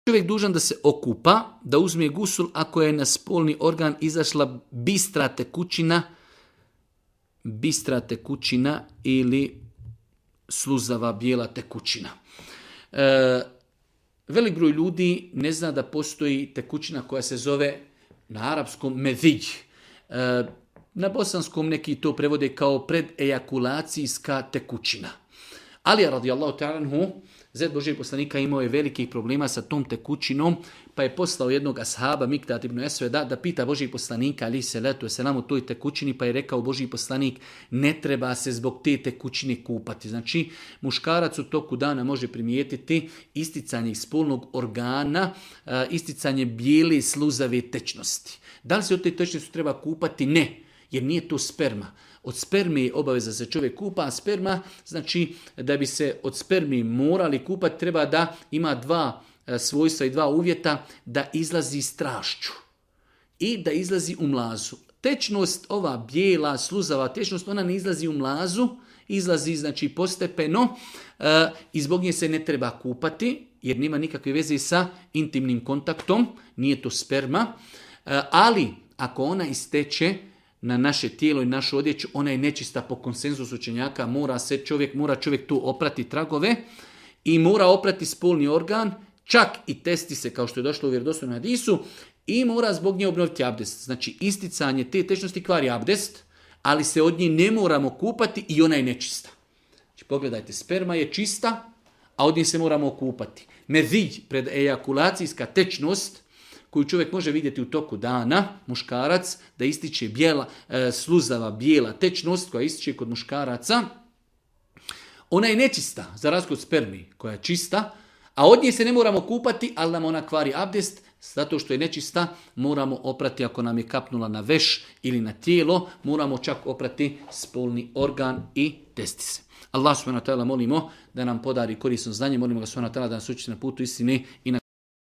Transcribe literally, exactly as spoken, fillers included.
Čovjek dužan da se okupa, da uzme gusul ako je na spolni organ izašla bistra tekućina, bistra tekućina ili sluzava bijela tekućina. E, velik broj ljudi ne zna da postoji tekućina koja se zove na arapskom medij. E, na bosanskom neki to prevode kao predejakulacijska tekućina. Ali radijallahu ta'ala anhu, Zed Božijeg poslanika imao je velikih problema sa tom tekućinom, pa je poslao jednog ashaba, Miktat ibn Esveda, da pita Božijeg poslanika, ali se letu se nam u toj tekućini, pa je rekao Božiji poslanik, ne treba se zbog te tekućine kupati. Znači, muškarac u toku dana može primijetiti isticanje spolnog organa, isticanje bijele sluzave tečnosti. Da li se od te tečnosti treba kupati? Ne, jer nije to sperma. Od sperme je obaveza da se čovjek kupa, a sperma, znači da bi se od sperme morali kupati, treba da ima dva svojstva i dva uvjeta, da izlazi strašću i da izlazi u mlazu. Tečnost, ova bijela, sluzava tečnost, ona ne izlazi u mlazu, izlazi znači postepeno e, i zbog nje se ne treba kupati, jer nema nikakve veze sa intimnim kontaktom, nije to sperma, e, ali ako ona isteče na naše tijelo i našu odjeću, ona je nečista po konsenzusu učenjaka, mora se čovjek, mora čovjek tu oprati tragove i mora oprati spolni organ, čak i testi se kao što je došlo u vjerodostojnom hadisu i mora zbog nje obnoviti abdest. Znači isticanje te tečnosti kvari abdest, ali se od nje ne moramo kupati i ona je nečista. Znači pogledajte, sperma je čista, a od nje se moramo kupati. Medij, predejakulacijska tečnost, koju čovjek može vidjeti u toku dana, muškarac, da ističe bijela, e, sluzava bijela tečnost koja ističe kod muškaraca, ona je nečista, za razliku od spermi koja je čista, a od nje se ne moramo kupati, ali nam ona kvari abdest, zato što je nečista, moramo oprati ako nam je kapnula na veš ili na tijelo, moramo čak oprati spolni organ i testise. Allah subhanahu wa ta'ala molimo da nam podari korisno znanje, molimo ga subhanahu wa ta'ala da nas učiti na putu istine i na